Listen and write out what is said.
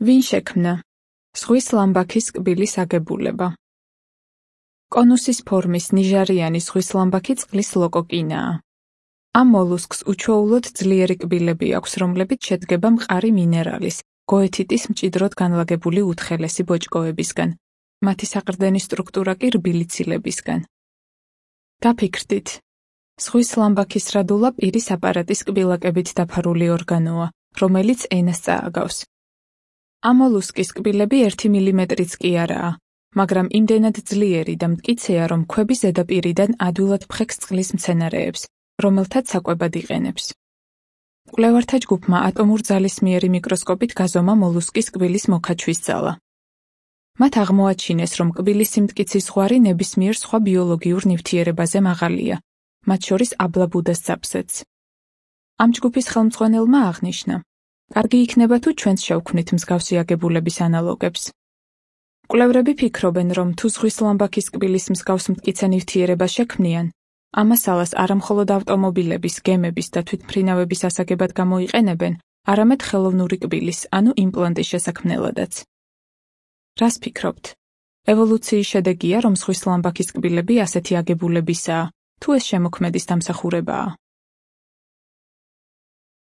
ვინ შექმნა? ზღვის ლამბაქის კბილის აგებულება. კონუსის ფორმის ნიჟარიანი ზღვის ლამბაქი წყლის ლოკოკინაა. ამ მოლუსკს უჩვეულოდ ძლიერი კბილები აქვს, რომლებიც შედგება მყარი მინერალის, გოეთიტის მჭიდროდ განლაგებული უთხელესი ბოჭკოებისგან. მათი საყრდენი სტრუქტურა კი რბილი ცილებისგან. გაფიქრდით. ზღვის ლამბაქის რადულა პირის აპარატის კბილაკებით დაფარული ორგანოა, რომელიც ენას წააგავს. ამ მოლუსკის კბილები 1 მილიმეტრიც კი არაა, მაგრამ იმდენად ძლიერი და მტკიცეა, რომ ქვების ზედაპირიდან ადვილად ფხექს წყლის მცენარეებს, რომელთაც საკვებად იყენებს. კვლევართა ჯგუფმა ატომურ ძალისმიერი მიკროსკოპით გაზომა მოლუსკის კბილის მოქაჩვის ძალა. მათ აღმოაჩინეს, რომ კბილის სიმტკიცის ზღვარი ნებისმიერ სხვა ბიოლოგიურ ნივთიერებაზე მაღალია, მათ შორის აბლაბუდას ძაფსედს. ამ ჯგუფის ხელმძღვანელმა აღნიშნა: კარგი იქნება თუ ჩვენც შევქმნით მსგავსი აგებულების ანალოგებს. კვლევრები ფიქრობენ, რომ თუ ზღვის ლამბაქის კბილის მსგავს მტკიცე ნივთიერებას შექმნიან, ამასალას არამხოლოდ ავტომობილების, გემების და თვითმფრინავების ასაგებად გამოიყენებენ, არამედ ხელოვნური კბილის, ანუ იმპლანტის შესაქმნელადაც. რას ფიქრობთ? ევოლუციის შედეგია, რომ ზღვის ლამბაქის კბილები ასეთი აგებულებისაა, თუ ეს შემოქმედის დამსახურებაა?